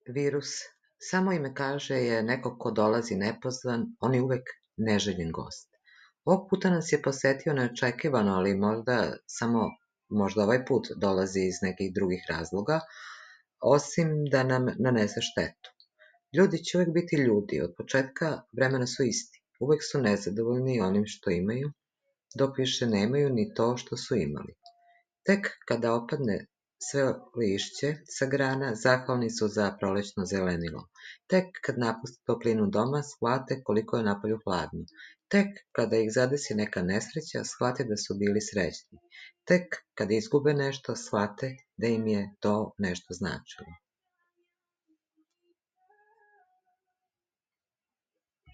Virus, samo ime kaže, je neko ko dolazi nepozvan, on je uvek neželjen gost. Ovog puta nas je posetio neočekivano, ali možda ovaj put dolazi iz nekih drugih razloga, osim da nam nanese štetu. Ljudi će uvek biti ljudi, od početka vremena su isti. Uvek su nezadovoljni onim što imaju, dok više nemaju ni to što su imali. Tek kada opadne sve lišće sa grana, zahvalni su za prolećno zelenilo. Tek kad napuste toplinu doma, shvate koliko je napolju hladno. Tek kada ih zadesi neka nesreća, shvate da su bili srećni. Tek kada izgube nešto, shvate da im je to nešto značilo.